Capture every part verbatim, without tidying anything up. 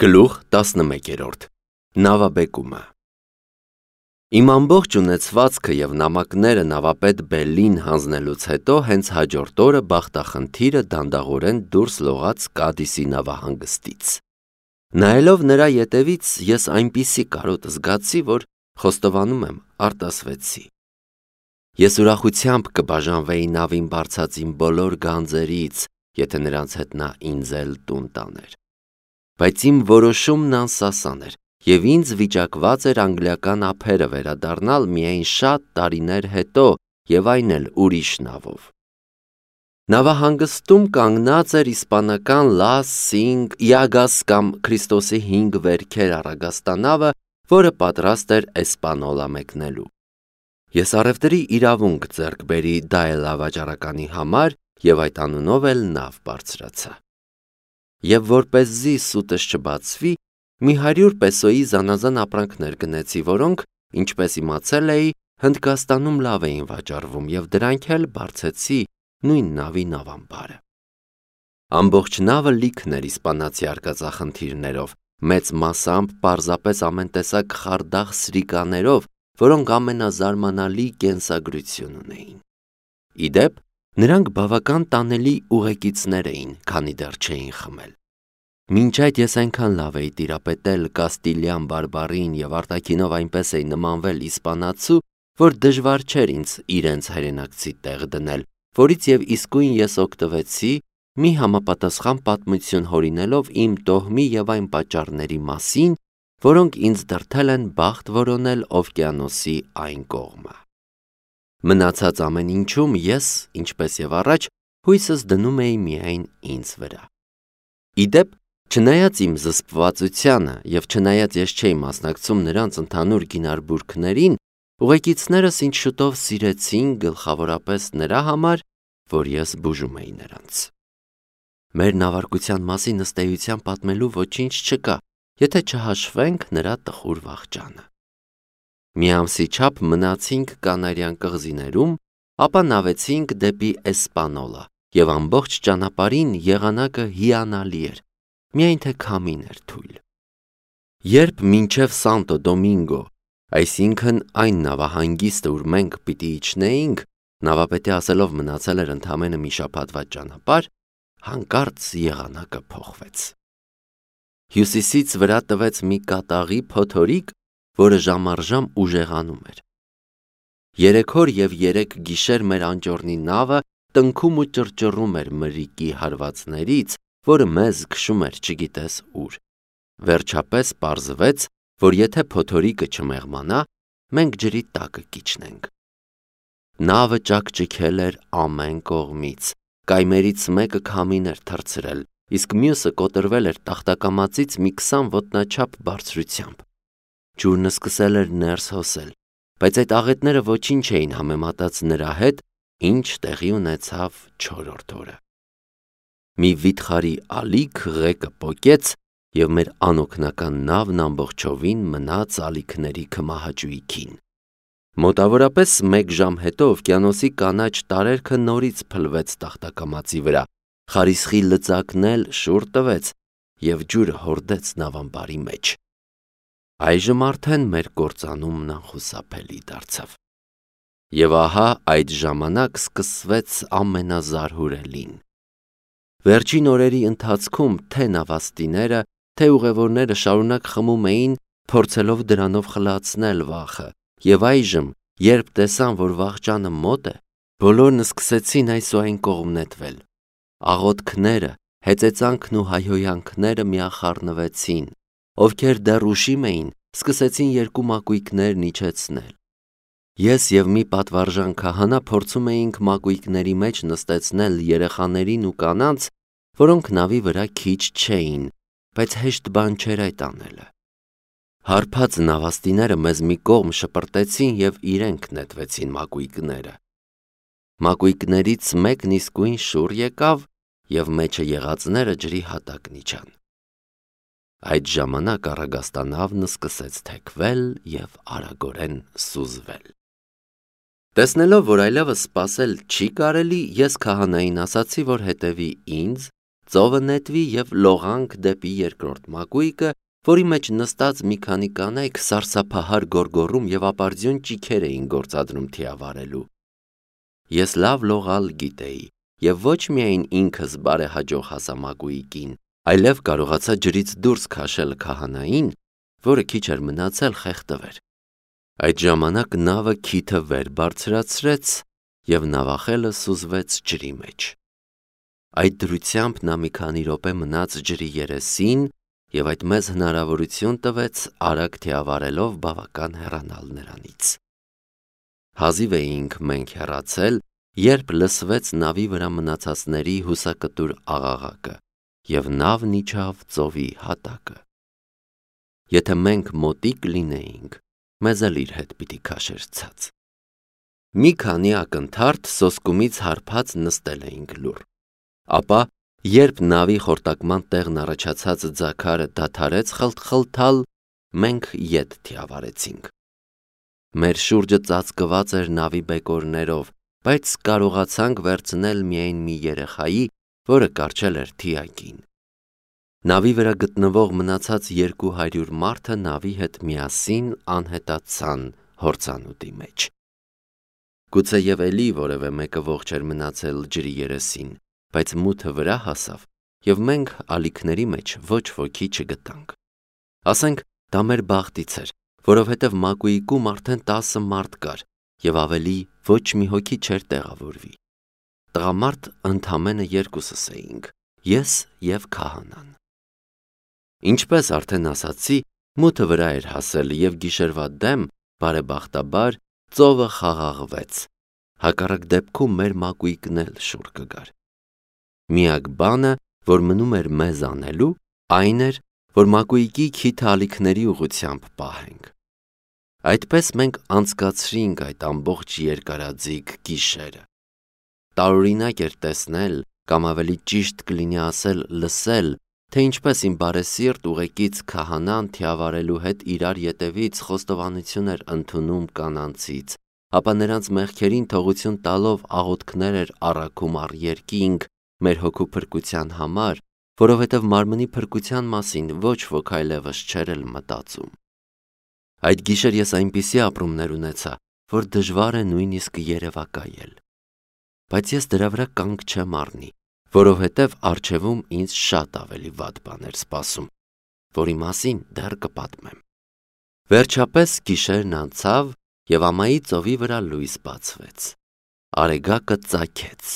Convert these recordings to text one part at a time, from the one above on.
Գլուխ տասնմեկերորդ Նավաբեկումը Իմ ամբողջ ունեցվածքը և նամակները նավապետ Բելլին հանձնելուց հետո հենց հաջորդ օրը բախտախնդիրը դանդաղորեն դուրս լողաց Կադիսի նավահանգստից։ Նայելով նրա ետևից ես այնպիսի կարոտ զգացի, որ խոստովանում եմ արտասվեցի։ Ես ուրախությամբ կբաժանվեի նավին բարձած իմ բոլոր գանձերից, եթե նրանց հետ նա ինձ էլ տուն տաներ։ Բայց իմ որոշումն անսասան էր, և ինձ վիճակված էր անգլիական ափերը վերադառնալ միայն շատ տարիներ հետո և այն էլ ուրիշ նավով։ Նավահանգստում կանգնած էր իսպանական Լաս Սինկ Յագաս կամ Քրիստոսի հինգ վերքեր առագաստանավը, որը պատրաստ էր Էսպանոլա մեկնելու։ Ես առևտրի իրավունք ձեռք բերի Դաելա վաճառականի համար և այդ անունով էլ նավ բարձրացա։ Եվ որպեսզի սուտս չբացվի, մի հարյուր պեսոյի զանազան ապրանքներ գնեցի, որոնք, ինչպես իմացել էի, Հնդկաստանում լավ էին վաճառվում և դրանք էլ բարձեցի նույն նավի նավամբարը։ Ամբողջ նավը լիքն էր իսպանացի արկածախնդիրներով, մեծ մասամբ պարզապես ամեն տեսակ խարդախ սրիկաներով, որոնք ամենազարմանալի կենսագրություն ունեին։ Ի դեպ, նրանք բավական տանելի ուղեկիցներ էին, քանի դեռ չէին խմել։ Մինչ այդ ես այնքան լավ էի տիրապետել կաստիլյան բարբառին և արտաքինով այնպես էի նմանվել իսպանացու, որ դժվար չէր ինձ իրենց հայրենակցի տեղ դնել, որից և իսկույն ես օգտվեցի, մի համապատասխան պատմություն հորինելով իմ տոհմի և այն պատճառների մասին, որոնք ինձ դրդել են բախտ որոնել օվկիանոսի այն կողմը։ Մնացած ամեն ինչում ես, ինչպես և առաջ, հույսս դնում էի միայն ինձ վրա։ Ի դեպ, չնայած իմ զսպվածությանը և չնայած ես չէի մասնակցում նրանց ընդհանուր գինարբուրգներին, ուղեկիցներս ինձ շուտով սիրեցին գլխավորապես նրա համար, որ ես բուժում էի նրանց։ Մեր նավարկության մասին ըստ էության պատմելու ոչինչ չկա, եթե չհաշվենք նրա տխուր վախճանը։ Մի ամսի չափ մնացինք Կանարյան կղզիներում, ապա նավեցինք դեպի Էսպանոլա, և ամբողջ ճանապարհին եղանակը հիանալի էր, միայն թե քամին էր թույլ։ Երբ մինչև Սանտո Դոմինգո, այսինքն այն նավահանգիստը, ուր մենք պիտի իջնեինք, նավապետի ասելով մնացել էր ընդամենը մի շաբաթվա ճանապարհ, հանկարծ եղանակը փոխվեց։ Հյուսիսից վրա տվեց մի կատաղի փոթորիկ, որը ժամ առ ժամ ուժեղանում էր։ Երեք օր և երեք գիշեր մեր անճոռնի նավը տնքում ու ճռճռում էր մրրիկի հարվածներից, որը մեզ քշում էր չգիտես ուր։ Վերջապես պարզվեց, որ եթե փոթորիկը չմեղմանա, մենք ջրի տակը կիջնենք։ Նավը ճաքճքել էր ամեն կողմից, կայմերից մեկը քամին էր թռցրել, իսկ մյուսը կոտրվել էր տախտակամածից մի քսան ոտնաչափ բարձրությամբ։ Ջուրն սկսել էր ներս հոսել, բայց այդ աղետները ոչինչ չէին համեմատած նրա հետ, ինչ տեղի ունեցավ չորրորդ օրը։ Մի վիթխարի ալիք ղեկը պոկեց, և մեր անօգնական նավն ամբողջովին մնաց ալիքների քմահաճույքին։ Մոտավորապես մեկ ժամ հետո օվկիանոսի կանաչ տարերքը նորից փլվեց տախտակամածի վրա, խարիսխի լծակն էլ շուռ տվեց, և ջուրը հորդեց նավամբարի մեջ։ Այժմ արդեն մեր կործանումն անխուսափելի դարձավ։ Եվ ահա այդ ժամանակ սկսվեց ամենազարհուրելին։ Վերջին օրերի ընթացքում թե նավաստիները, թե ուղևորները շարունակ խմում էին, փորձելով դրանով խլացնել վախը, և այժմ, երբ տեսան, որ վախճանը մոտ է, բոլորն սկսեցին այս ու այն կողմ նետվել։ Աղոթքները, հեծեծանքն ու հայհոյանքները միախառնվեցին, ովքեր դեռ ուշիմ էին, սկսեցին երկու մակույկներն իջեցնել։ Ես և մի պատվարժան քահանա փորձում էինք մակույկների մեջ նստեցնել երեխաներին ու կանանց, որոնք նավի վրա քիչ չէին, բայց հեշտ բան չէր այդ անելը։ Հարբած նավաստիները մեզ մի կողմ շպրտեցին և իրենք նետվեցին մակույկները։ Մակույկներից մեկն իսկույն շուռ եկավ, և մեջը եղածները ջրի հատակն իջան։ Այդ ժամանակ առագաստանավն սկսեց թեքվել և արագորեն սուզվել։ Տեսնելով, որ այլևս սպասել չի կարելի, ես քահանային ասացի, որ հետևի ինձ, ծովը նետվի և լողանք դեպի երկրորդ մակույկը, որի մեջ նստած մի քանի կանայք սարսափահար գոռգոռում և ապարդյուն ճիգեր էին գործադրում թիավարելու։ Ես լավ լողալ գիտեի և ոչ միայն ինքս բարեհաջող հասա մակույկին, այլև կարողացա ջրից դուրս քաշել քահանային, որը քիչ էր մնացել խեղդվեր։ Այդ ժամանակ նավը քիթը վեր բարձրացրեց և նավախելը սուզվեց ջրի մեջ։ Այդ դրությամբ նա մի քանի րոպե մնաց ջրի երեսին և այդ մեզ հնարավորություն տվեց արագ թիավարելով բավական հեռանալ նրանից։ Հազիվ էինք մենք հեռացել, երբ լսվեց նավի վրա մնացածների հուսակտուր աղաղակը, և նավն իջավ ծովի հատակը։ Եթե մենք մոտիկ լինեինք, մեզ էլ իր հետ պիտի քաշեր ցած։ Մի քանի ակնթարթ սոսկումից հարբած նստել էինք լուռ, ապա երբ նավի խորտակման տեղն առաջացած ձագարը դադարեց խլթխլթալ, մենք ետ թիավարեցինք։ Մեր շուրջը ծածկված էր նավի բեկորներով, բայց կարողացանք վերցնել միայն մի երեխայի, որը կառչել էր թիակին։ Նավի վրա գտնվող մնացած երկու հարյուր մարդը նավի հետ միասին անհետացան հորձանուտի մեջ։ Գուցեև էլի որևէ մեկը ողջ էր մնացել ջրի երեսին, բայց մութը վրա հասավ, և մենք ալիքների մեջ ոչ ոքի չգտանք։ Ասենք դա մեր բախտից էր, որովհետև մակույկում արդեն տասը մարդ կար, և ավելի ոչ մի հոգի չէր տեղավորվի։ Տղամարդ ընդամենը երկուսս էինք՝ ես և քահանան։ Ինչպես արդեն ասացի, մութը վրա էր հասել, և գիշերվա դեմ, բարեբախտաբար, ծովը խաղաղվեց, հակառակ դեպքում մեր մակույկն էլ շուռ կգար։ Միակ բանը, որ մնում էր մեզ անելու, այն էր, որ մակույկի քիթը ալիքների ուղղությամբ պահենք։ Այդպես մենք անցկացրինք այդ ամբողջ երկարաձիգ գիշերը։ Տարօրինակ էր տեսնել, կամ ավելի ճիշտ կլինի ասել լսել, թե ինչպես իմ բարեսիրտ ուղեկից քահանան թիավարելու հետ իրար ետևից խոստովանություն էր ընդունում կանանցից, ապա նրանց մեղքերին թողություն տալով աղոթքներ էր առաքում առ երկինք մեր հոգու փրկության համար, որովհետև մարմնի փրկության մասին ոչ ոք այլևս չէր էլ մտածում։ Այդ գիշեր ես այնպիսի ապրումներ ունեցա, որ դժվար է նույնիսկ երևակայել։ Բայց ես դրա վրա կանգ չեմ առնի, որովհետև առջևում ինձ շատ ավելի վատ բան էր սպասում, որի մասին դեռ կպատմեմ։ Վերջապես գիշերն անցավ, և ամայի ծովի վրա լույս բացվեց։ Արեգակը ծագեց։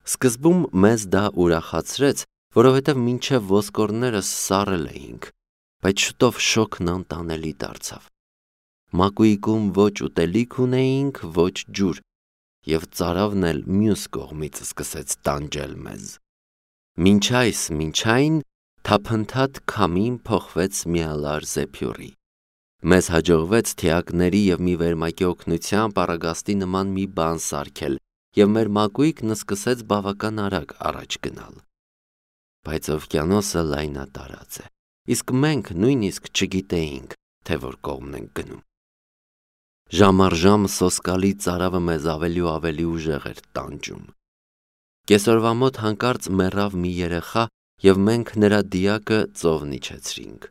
Սկզբում մեզ դա ուրախացրեց, որովհետև մինչև ոսկորներս սառել էինք, բայց շուտով շոգն անտանելի դարձավ։ Մակույկում ոչ ուտելիք ունեինք, ոչ ջուր, և ծարավն էլ մյուս կողմից սկսեց տանջել մեզ։ Մինչ այս, մինչ այն, թափընթադ քամին փոխվեց միալար զեփյուռի։ Մեզ հաջողվեց թիակների և մի վերմակի օգնությամբ առագաստի նման մի բան սարքել, և մեր մակույկն սկսեց բավական արագ առաջ գնալ։ Բայց օվկիանոսը լայնատարած է, իսկ մենք նույնիսկ չգիտեինք, թե որ կողմն ենք գնում։ Ժամ առ ժամ սոսկալի ծարավը մեզ ավելի ու ավելի ուժեղ էր տանջում։ Կեսօրվա մոտ հանկարծ մեռավ մի երեխա, և մենք նրա դիակը ծովն իջեցրինք։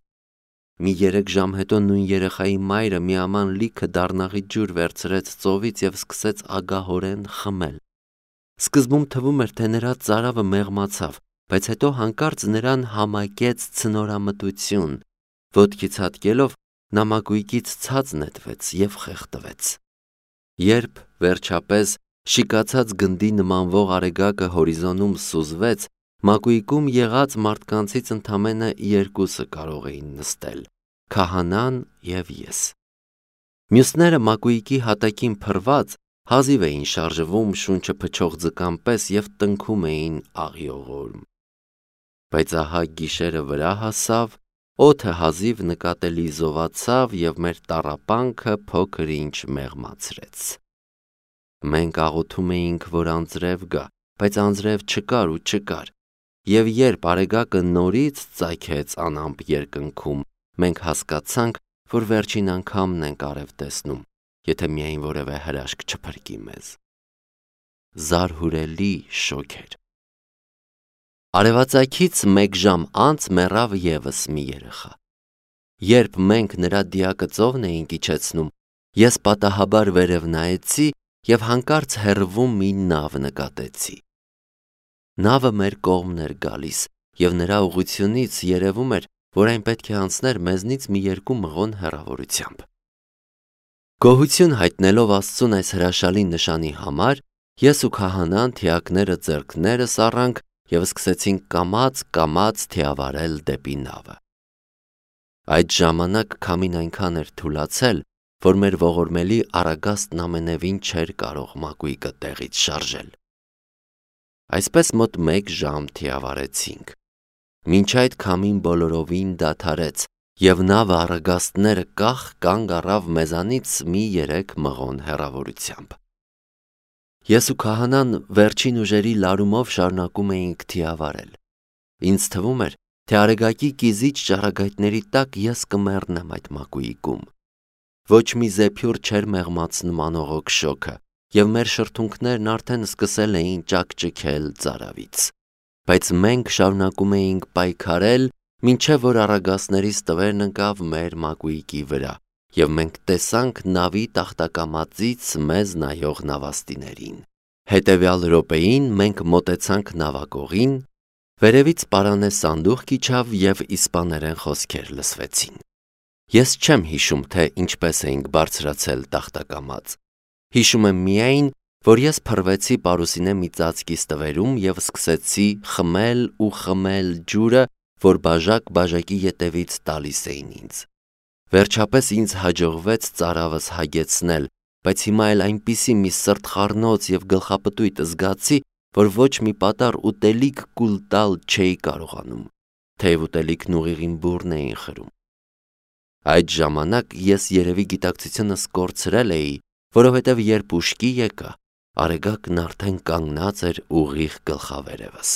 Մի երեք ժամ հետո նույն երեխայի մայրը մի աման լիքը դառնաղի ջուր վերցրեց ծովից և սկսեց ագահորեն խմել։ Սկզբում թվում էր, թե նրա ծարավը մեղմացավ, բայց հետո հանկարծ նրան համակեց ցնորամտություն, ոտքից հատկելով նա մակույկից ցած նետվեց և խեղդվեց։ Երբ, վերջապես, շիկացած գնդի նմանվող արեգակը հորիզոնում սուզվեց, մակույկում եղած մարդկանցից ընդամենը երկուսը կարող էին նստել՝ քահանան և ես։ Մյուսները մակույկի հատակին փռված հազիվ էին շարժվում շունչը փչող ձկան պես և տնքում էին աղիողորմ։ Բայց ահա գիշերը վրա հասավ, օդը հազիվ նկատելի զովացավ և մեր տառապանքը փոքր-ինչ մեղմացրեց։ Մենք աղոթում էինք, որ անձրև գա, բայց անձրև չկար ու չկար, և երբ արեգակը նորից ծագեց անամպ երկնքում, մենք հասկացանք, որ վերջին անգամն ենք արև տեսնում, եթե միայն որևէ հրաշք չփրկի մեզ։ Զարհուրելի շոգ էր։ Արևածագից մեկ ժամ անց մեռավ ևս մի երեխա։ Երբ մենք նրա դիակը ծովն էինք իջեցնում, ես պատահաբար վերև նայեցի և հանկարծ հեռվում մի նավ նկատեցի։ Նավը մեր կողմն էր գալիս, և նրա ուղղությունից երևում էր, որ այն պետք է անցներ մեզնից մի երկու մղոն հեռավորությամբ։ Գոհություն հայտնելով Աստծուն այս հրաշալի նշանի համար, ես ու քահանան թիակները ձեռքներս առանք և սկսեցինք կամաց-կամաց թիավարել դեպի նավը։ Այդ ժամանակ քամին այնքան էր թուլացել, որ մեր ողորմելի Արագաստն ամենևին չէր կարող մակույկը տեղից շարժել։ Այսպես մոտ մեկ ժամ թիավարեցինք։ Մինչ այդ քամին բոլորովին դադարեց, և նավը Արագաստները կախ կանգ առավ մեզանից մի երեք մղոն հեռավորությամբ։ Ես ու քահանան վերջին ուժերի լարումով շարունակում էինք թիավարել։ Ինձ թվում էր, թե Արեգակի կիզիչ ճառագայթների տակ ես կմեռնեմ այդ մակույկում։ Ոչ մի զեփյուռ չէր մեղմացնում անողոք շոգը, և մեր շրթունքներն արդեն սկսել էին ճաքճքել ծարավից։ Բայց մենք շարունակում էինք պայքարել, մինչև որ Արագաստների ստվերն ընկավ մեր մակույկի վրա, և մենք տեսանք նավի տախտակամածից մեզ նայող նավաստիներին։ Հետևյալ րոպեին մենք մոտեցանք նավակողին, վերևից պարանե սանդուղք իջավ և իսպաներեն խոսքեր լսվեցին։ Ես չեմ հիշում, թե ինչպես էինք բարձրացել տախտակամած։ Հիշում եմ միայն, որ ես փռվեցի պարուսինե մի ծածկի ստվերում և սկսեցի խմել ու խմել ջուրը, որ բաժակ բաժակի ետևից տալիս էին ինձ։ Վերջապես ինձ հաջողվեց ծարավս հագեցնել, բայց հիմա էլ այնպիսի մի սրտխառնոց և գլխապտույտ զգացի, որ ոչ մի պատառ ուտելիք կուլ տալ չէի կարողանում, թեև ուտելիքն ուղիղ իմ բուրն էին խրում։ Այդ ժամանակ ես երևի գիտակցությունս կորցրել էի, որովհետև երբ ուշքի եկա, Արեգակն արդեն կանգնած էր ուղիղ գլխավերևս։